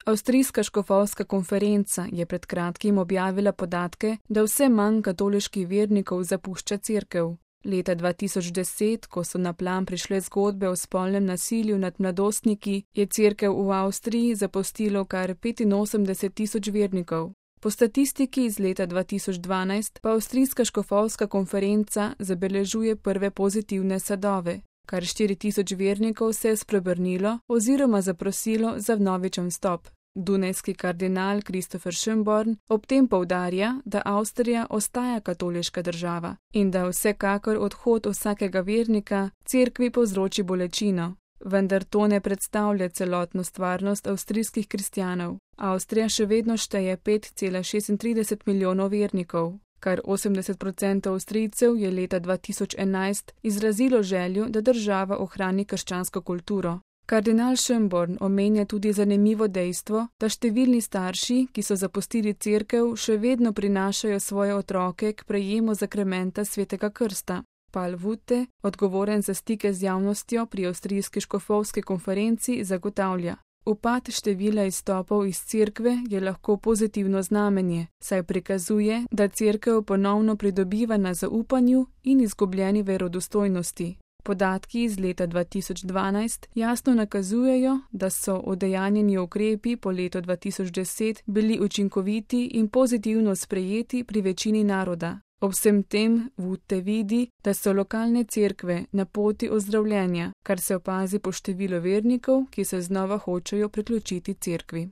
Avstrijska škofovska konferenca je pred kratkim objavila podatke, da vse manj katoliških vernikov zapušča cerkev. Leta 2010, ko so na plan prišle zgodbe o spolnem nasilju nad mladostniki, je cerkev v Avstriji zapustilo kar 85.000 vernikov. Po statistiki iz leta 2012 pa Avstrijska škofovska konferenca zabeležuje prve pozitivne sadove. Kar 4.000 vernikov se je spreobrnilo oziroma zaprosilo za vnovičen vstop. Dunajski kardinal Christopher Schönborn ob tem poudarja, da Avstrija ostaja katoliška država in da vsekakor odhod vsakega vernika cerkvi povzroči bolečino. Vendar to ne predstavlja celotno stvarnost avstrijskih kristjanov. Avstrija še vedno šteje 5,36 milijonov vernikov. Kar 80% Avstrijcev je leta 2011 izrazilo željo, da država ohrani krščansko kulturo. Kardinal Schönborn omenja tudi zanimivo dejstvo, da številni starši, ki so zapustili cerkev, še vedno prinašajo svoje otroke k prejemu zakramenta svetega krsta. Paul Wutte, odgovoren za stike z javnostjo pri Avstrijski škofovski konferenci, zagotavlja: upad števila izstopov iz cerkve je lahko pozitivno znamenje, saj prikazuje, da cerkev ponovno pridobiva na zaupanju in izgubljeni verodostojnosti. Podatki iz leta 2012 jasno nakazujejo, da so udejanjeni ukrepi po letu 2010 bili učinkoviti in pozitivno sprejeti pri večini naroda. Ob vsem tem Wutte vidi, da so lokalne cerkve na poti ozdravljenja, kar se opazi po številu vernikov, ki se znova hočejo priključiti cerkvi.